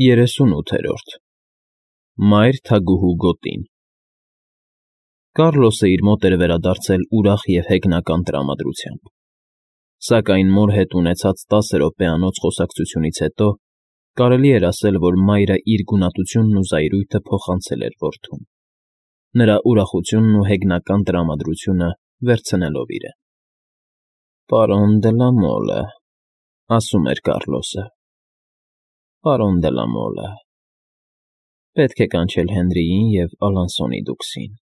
38-րդ Մայր թագուհու գոտին Կառլոսը իր մոտ էր վերադարձել ուրախ և հեգնական տրամադրությամբ, սակայն մոր հետ ունեցած 10 րոպեանոց խոսակցությունից հետո կարելի էր ասել, որ մայրը իր գունատությունն ու զայրույթը փոխանցել էր որդուն, նրա ուրախությունն ու հեգնական տրամադրությունը վերցնելով իրեն։ «Պարոն դե լա Մոլը,֊ ասում էր Կառլոսը,֊ պարոն դե լա Մոլը, պետք է կանչել Հենրիին և Ալանսոնի դուքսին։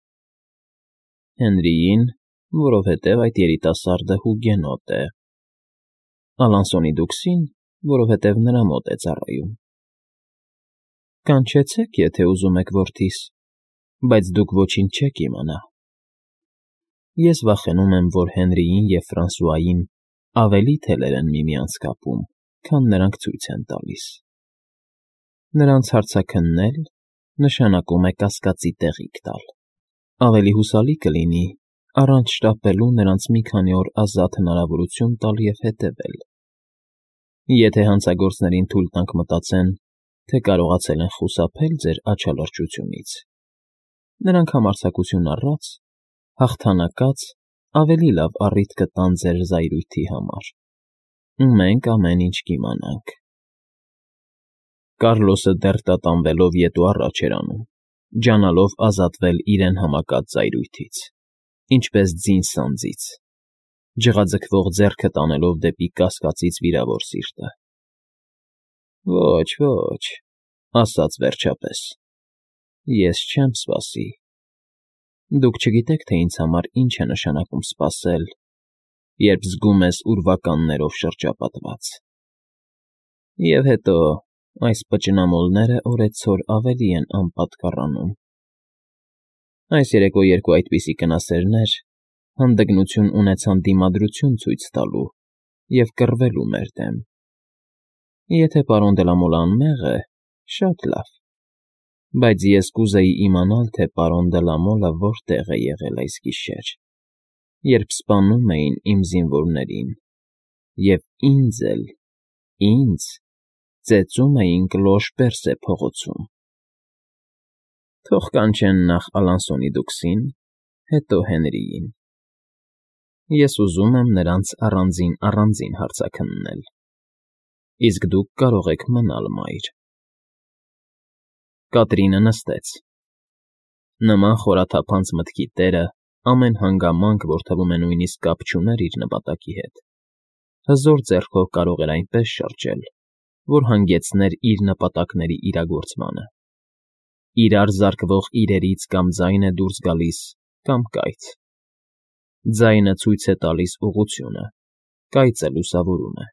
Հենրիին, որովհետև այդ երիտասարդը հուգենոտ է, Ալանսոնի դուքսին, որովհետև նրա մոտ է ծառայում։ Կանչեցեք, եթե ուզում եք, որդիս, բայց դուք ոչինչ չեք իմանա։ Ես վախենում եմ, որ Հենրիին և Ֆրանսուային ավելի թելեր են միմյանց կապում, քան նրանք ցույց են տալիս։ Նրանց հարցաքննել նշանակում է կասկածի տեղիք տալ։ Ավելի հուսալի կլինի առանց շտապելու նրանց մի քանի օր ազատ հնարավորություն տալ և հետևել։ Եթե հանցագործներին թույլ տանք մտածեն, թե կարողացել են խուսափել ձեր աչալրջությունից, նրանք համարձակություն առած, հաղթանակած ավելի լավ առիթ կտան ձեր զայրույթի համար, ու մենք ամեն ինչ կիմանանք։ Կառլոսը դեռ տատանվելով ետ ու առաջ էր անում, ջանալով ազատվել իրեն համակած զայրույթից, ինչպես ձին սանձից, ջղաձգվող ձեռքը տանելով դեպի կասկածից վիրավոր սիրտը։ Ոչ, ոչ,֊ ասաց վերջապես,֊ ես չեմ սպասի։ Դուք չգիտեք, թե ինձ համար ինչ է նշանակում սպասել, երբ զգում ես ուրվականներով շրջապատված։ Եվ հետո այս պճնամոլները օրեցօր ավելի են անպատկառանում։ Այս երեկո երկու այդպիսի կնասերներ հանդգնություն ունեցան դիմադրություն ցույց տալու և կռվելու մեր դեմ։ Եթե պարոն դե լա Մոլը անմեղ է, շատ լավ, բայց ես կուզեի իմանալ, թե պարոն դե լա Մոլը որտեղ է եղել այս գիշեր, երբ սպանում էին իմ զինվորներին և ինձ էլ, ինձ, ծեծում էին Կլոշ֊Պերսե փողոցում։ Թող կանչեն նախ Ալանսոնի դուքսին, հետո Հենրիին։ Ես ուզում եմ նրանց առանձին հարցաքննել, իսկ դուք կարող եք մնալ մայր։ Կատրինը նստեց։ Նման խորաթափանց մտքի տերը ամեն հանգամանք, որ թվում է նույնիսկ կապ չուներ իր նպատակի հետ, հզոր ձեռքով կարող էր այնպես շրջել, որ հանգեցներ իր նպատակների իրագործմանը։ Իրար զարկվող իրերից կամ ձայն է դուրս գալիս, կամ կայծ։ Ձայնը ցույց է տալիս ուղղությունը, կայծը լուսավորում է։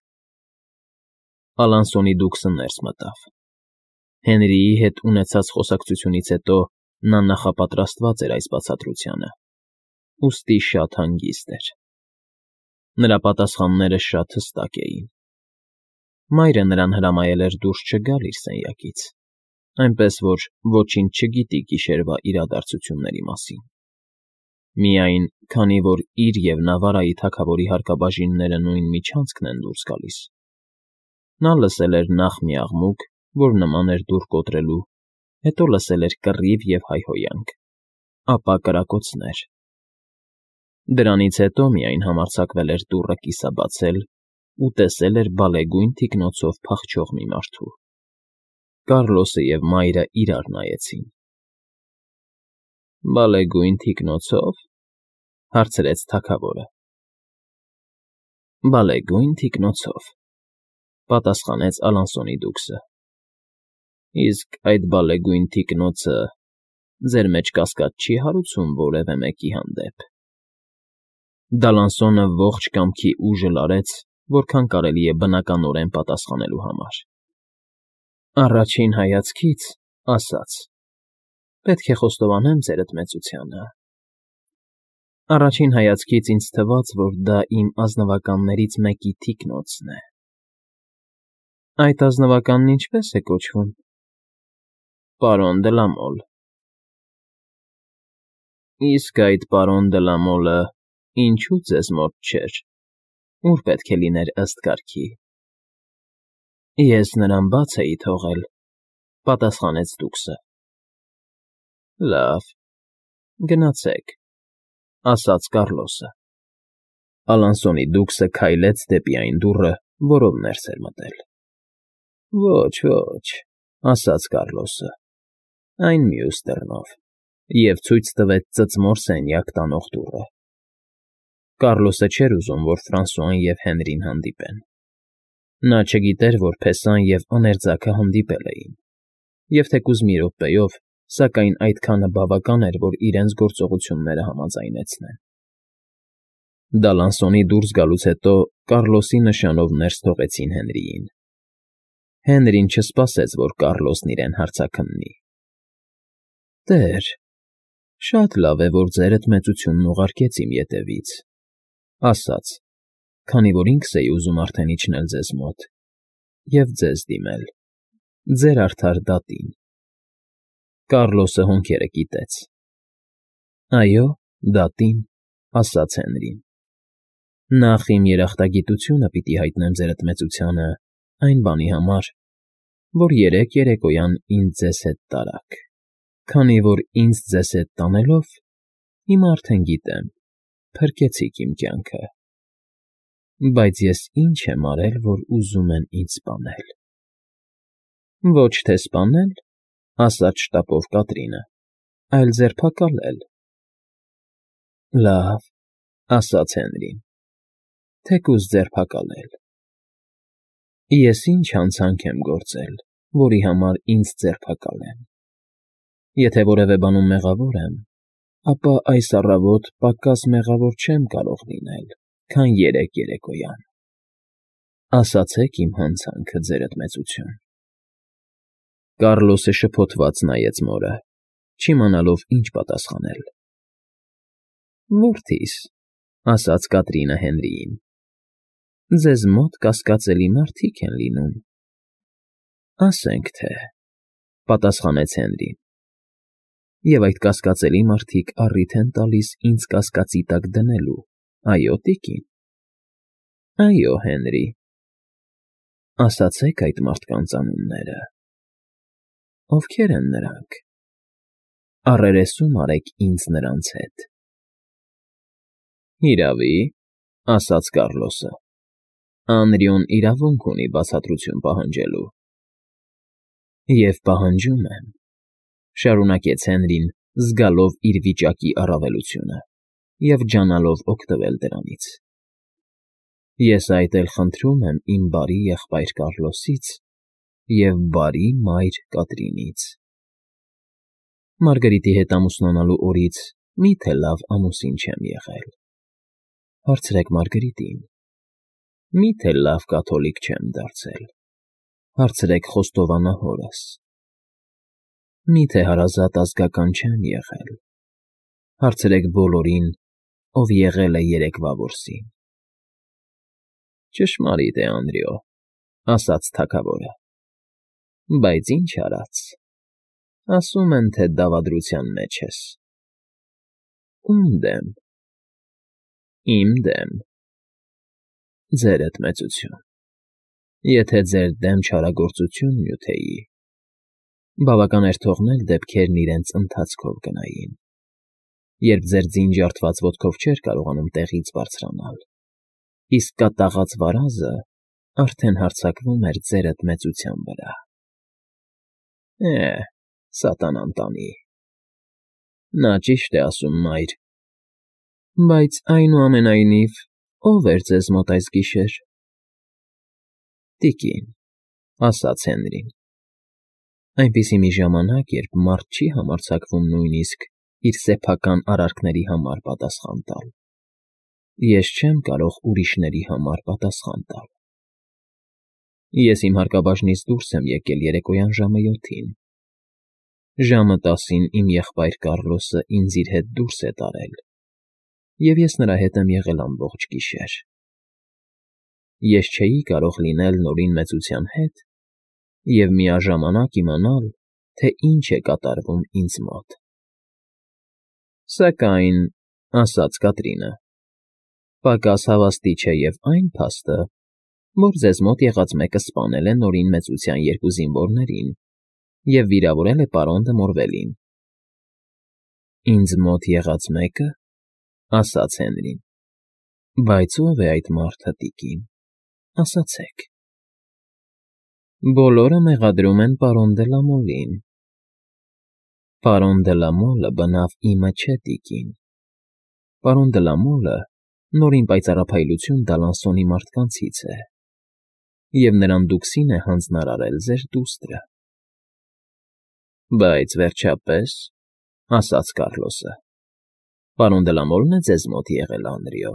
Ալանսոնի դուքսը ներս մտավ։ Հենրիի հետ ունեցած խոսակցությունից հետո նա նախապատրաստված էր այս բացատրությանը, ուստի շատ հանգիստ էր։ Նրա պատասխանները շատ հստակ էին։ Մայրը նրան հրամայել էր դուրս չգալ իր սենյակից, այնպես որ ոչինչ չգիտի գիշերվա իրադարձությունների մասին։ Միայն, քանի որ իր և Նավարայի թագավորի հարկաբաժինները նույն միջանցքն են դուրս գալիս, նա լսել էր նախ մի աղմուկ, որ նման էր դուռ կոտրելու, հետո լսել էր կռիվ և հայհոյանք, ապա կրակոցներ։ Դրանից հետո միայն համարձակվել էր դուռը կիսաբացել ու տեսել էր բալեգույն թիկնոցով փախչող մի մարդու։ Կառլոսը և մայրը իրար նայեցին։ Բալեգույն թիկնոցո՞վ,֊ հարցրեց թագավորը։ Բալեգույն թիկնոցով,֊ պատասխանեց Ալանսոնի դուքսը։ Իսկ այդ բալեգույն թիկնոցը ձեր մեջ կասկած չի հարուցում որևէ մեկի հանդեպ։ Դալանսոնը ողջ կամքի ուժը լարեց, որքան կարելի է բնականորեն պատասխանելու համար։ Առաջին հայացքից, ասաց. Պետք է խոստովանեմ ձերդ մեծությանը։ Առաջին հայացքից ինձ թվաց, որ դա իմ ազնվականներից մեկի թիկնոցն է։ Այդ ազնվականն ինչպե՞ս է կոչվում։ Պարոն դե լա Մոլ։ Իսկ այդ պարոն դե լա Մոլը ինչու ձեզ մոտ չէր, ուր պետք է լիներ ըստ կարգի։ Ես նրան բաց էի թողել, Պատասխանեց դուքսը։ Լավ, գնացեք, ասաց Կառլոսը։ Ալանսոնի դուքսը քայլեց դեպի այն դուռը, որով ներս էր մտել։ Ոչ, ոչ, ասաց Կառլոսը, այն մյուս դռնով, և ցույց տվեց ծծմոր սենյակ տանող դուռը։ Կառլոսը չէր ուզում, որ Ֆրանսուան և Հենրին հանդիպեն։ Նա չգիտեր, որ փեսան և աներձակը հանդիպել էին, և թեկուզ մի րոպեով, սակայն այդքանը բավական էր, որ իրենց գործողությունները համաձայնեցնեն։ Դալանսոնի դուրս գալուց հետո Կառլոսի նշանով ներս թողեցին Հենրիին։ Հենրին չսպասեց, որ Կառլոսն իրեն հարցաքննի։ Տեր, շատ լավ է, որ ձերդ մեծությունն ուղարկեց իմ ետևից, ասաց, քանի որ ինքս էի ուզում արդեն իջնել ձեզ մոտ և ձեզ դիմել, ձեր արդար դատին։ Կառլոսը հոնքերը կիտեց։ Այո, դատին, ասաց Հենրին։ Նախ իմ երախտագիտությունը պիտի հայտնեմ ձերդ մեծությանը այն բանի համար, որ երեկոյան ինձ ձեզ հետ տարաք, քանի որ ինձ ձեզ հետ տանելով, հիմա արդեն գիտեմ, փրկեցիք իմ կյանքը, բայց ես ինչ եմ արել, որ ուզում են ինձ սպանել։ Ոչ թե սպանել, ասաց շտապով Կատրինը, այլ ձերբակալել։ Լավ, ասաց Հենրին, թեկուզ ձերբակալել։ Ես ինչ հանցանք եմ գործել, որի համար ինձ ձերբակալեն։ Եթե որևէ բանում մեղավոր եմ, ապա այս առավոտ պակաս մեղավոր չեմ կարող լինել, քան երեկոյան։ Ասացեք իմ հանցանքը, ձերդ մեծություն։ Կառլոսը շփոթված նայեց մորը, չիմանալով ինչ պատասխանել։ Որդիս, ասաց Կատրինը Հենրիին, ձեզ մոտ կասկածելի մարդիկ են լինում։ Ասենք թե, պատասխանեց Հենրին, և այդ կասկածելի մարդիկ առիթ են տալիս ինձ կասկածի տակ դնելու, այո, տիկին։ Այո, Հենրի։ Ասացեք այդ մարդկանց անունները։ Ովքեր են նրանք։ Առերեսում արեք ինձ նրանց հետ։ Հիրավի, ասաց Կառլոսը, Անրիոն իրավունք ունի բացատրություն պահանջելու։ Եվ պահանջում եմ, շարունակեց Հենրին, զգալով իր վիճակի առավելությունը և ջանալով օգտվել դրանից։ Ես այդ էլ խնդրում եմ իմ բարի եղբայր Կառլոսից և բարի մայր Կատրինից։ Մարգարիտի հետ ամուսնանալու օրից մի՞թե լավ ամուսին չեմ եղել։ Հարցրեք Մարգարիտին։ Մի՞թե լավ կաթոլիկ չեմ դարձել։ Հարցրեք խոստովանահորս։ Մի՞թե հարազատ ազգական չեմ եղել։ Հարցրեք բոլորին, ով եղել է երեկվա որսին։ Ճշմարիտ է, Անրիո, ասաց թագավորը, բայց ինչ արած, ասում են, թե դավադրության մեջ ես։ Ում դեմ։ Իմ դեմ։ Ձերդ մեծություն։ Եթե ձեր դեմ չարագործություն նյութեի, բավական էր թողնել դեպքերն իրենց ընթացքով գնային, երբ ձեր ձին ջարդված ոտքով չէր կարողանում տեղից բարձրանալ, իսկ կատաղած վարազը արդեն հարձակվում էր ձերդ մեծության վրա։ Սատանան տանի։ Նա ճիշտ է ասում, մայր, բայց այնուամենայնիվ, ո՞վ էր ձեզ մոտ այս գիշեր։ Տիկին, ասաց Հենրին, այնպիսի մի ժամանակ, երբ մարդ չի համարձակվում նույնիսկ իր սեփական արարքների համար պատասխան տալ։ Ես չեմ կարող ուրիշների համար պատասխան տալ։ Ես իմ հարկաբաժնից դուրս եմ եկել երեկոյան ժամը 7-ին։ Ժամը 10-ին իմ եղբայր Կառլոսը ինձ իր հետ դուրս է տարել, և ես նրա հետ եմ եղել ամբողջ գիշեր։ Ես չէի կարող լինել Նորին մեծության հետ և միաժամանակ իմանալ, թե ինչ է կատարվում ինձ մոտ։ Սակայն, ասաց Կատրինը, պակաս հավաստի չէ և այն փաստը, որ ձեզ մոտ եղած մեկը սպանել է Նորին մեծության երկու զինվորներին և վիրավորել է պարոն դը Մորվելին։ Ինձ մոտ եղած մեկը, ասաց Հենրին։ Բայց ո՞վ է այդ մարդը, տիկին, ասացեք։ Բոլորը մեղադրում են պարոն դե Լամոլին։ Պարոն դե Լամոլը բնավ իմը չէ, տիկին։ Պարոն դե Լամոլը նորին պայծառափայլություն Դալանսոնի մարդկանցից է, և նրան դուքսին է հանձնարարել ձեր դուստրը։ Բայց վերջապես, ասաց Կառլոսը, պարոն դե Լամոլն է ձեզ մոտ եղել, Անրիո։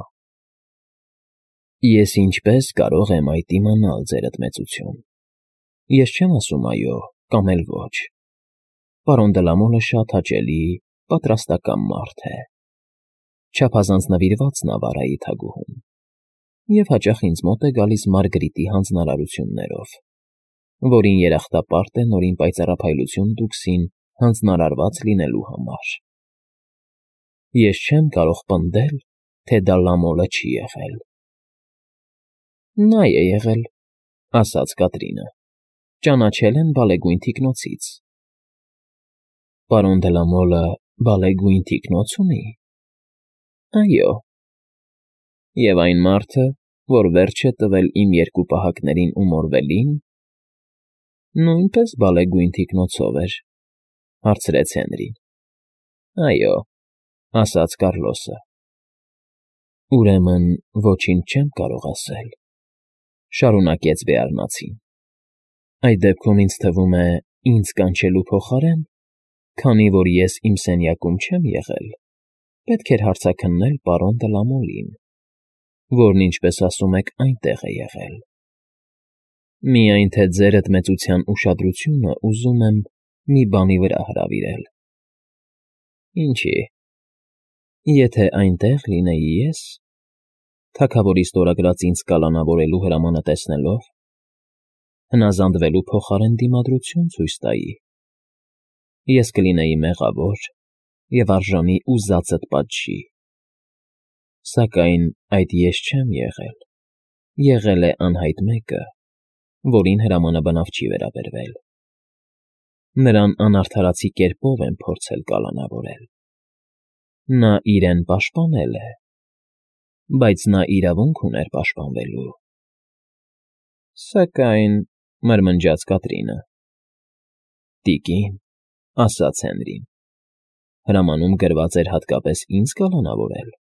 Ես ինչպես կարող եմ այդ իմանալ, ձերդ մեծություն։ Ես չեմ ասում այո կամ էլ ոչ։ Պարոն դե Լամոլը շատ հաճելի, պատրաստական մարդ է։ Չափազանց նվիրված Նավարայի թագուհուն, և հաճախ ինձ մոտ է գալիս Մարգրիտի հանձնարարություններով, որին երախտապարտ է նորին պայծառափայլություն դուքսին հանձնարարված լինելու համար։ Ես չեմ կարող պնդել, թե դա Լամոլը չի եղել։ Նա է եղել, ասաց Կատրինը, ճանաչել են բալեգույն թիկնոցից։ Պարոն դե Լամոլը բալեգույն թիկնոց ունի։ Այո։ Եվ այն մարդը, որ վերջ է տվել իմ երկու պահակներին ու Մորվելին, նույնպես բալեգույն թիկնոցով էր, հարցրեց Հենրին։ Այո, ասաց Կառլոսը։ Ուրեմն ոչինչ չեմ կարող ասել, շարունակեց Բեարնացին։ Այդ դեպքում ինձ թվում է, ինձ կանչելու փոխարեն, քանի որ ես իմ սենյակում չեմ եղել, պետք էր հարցաքննել պարոն դե Լամոլին, որն, ինչպես ասում եք, այնտեղ է եղել։ Միայն թե ձերդ մեծության ուշադրությունը ուզում եմ մի բանի վրա հրավիրել։ Ինչի՞։ Եթե այնտեղ լինեի ես, թագավորի ստորագրած ինձ կալանավորելու հրամանը տեսնելով, հնազանդվելու փոխարեն դիմադրություն ցույց տայի, ես կլինեի մեղավոր և արժանի ուզածդ պատժի։ Սակայն այդ ես չեմ եղել, եղել է անհայտ մեկը, որին հրամանը բնավ չի վերաբերվել։ Նրան անարդարացի կերպով եմ փորձել կալանավորել։ Նա իրեն պաշտպանել է, բայց նա իրավունք ուներ պաշտպանվելու։ Սակայն, մրմնջաց Կատրինը։ Տիկին, ասաց Հենրին, հրամանում գրված էր հատկապես ինձ կալանավորել։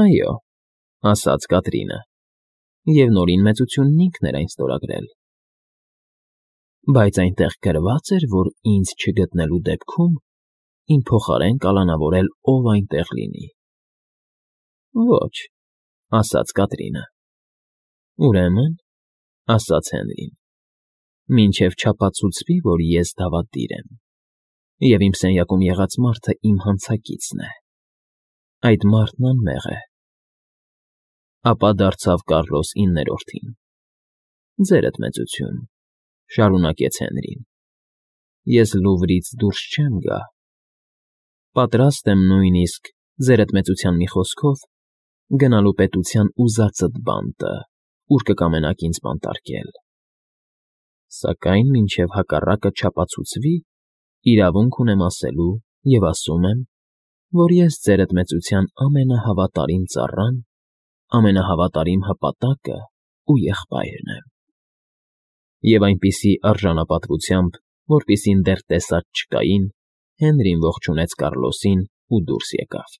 Այո, ասաց Կատրինը, և նորին մեծությունն ինքն էր այն ստորագրել։ Բայց այնտեղ գրված էր, որ ինձ չգտնելու դեպքում իմ փոխարեն կալանավորել ով այնտեղ լինի։ Ոչ, ասաց Կատրինը։ Ուրեմն, ասաց Հենրին, մինչև չափածուցվի, որ ես դավադիր եմ, և իմ սենյակում եղած մարդը իմ հանցակիցն է, այդ մարդն անմեղ է։ Ապա դարձավ Կառլոս 9-րդին. Ձերդ մեծություն, շարունակեց Հենրին, ես Լուվրից դուրս չեմ գա։ Պատրաստ եմ նույնիսկ, ձերդ մեծության մի խոսքով, գնալու պետության ուզածդ բանտը, ուր կկամենաք ինձ բանտարկել։ Սակայն մինչև հակառակը չափածուցվի, իրավունք ունեմ ասելու և ասում եմ, որ ես ձերդ մեծության ամենահավատարիմ ծառան, ամենահավատարիմ հպատակը ու եղբայրն եմ։ Եվ այնպիսի արժանապատվությամբ, որպիսին դեռ տեսած չկային, Հենրին ողջունեց Կառլոսին ու դուրս եկավ։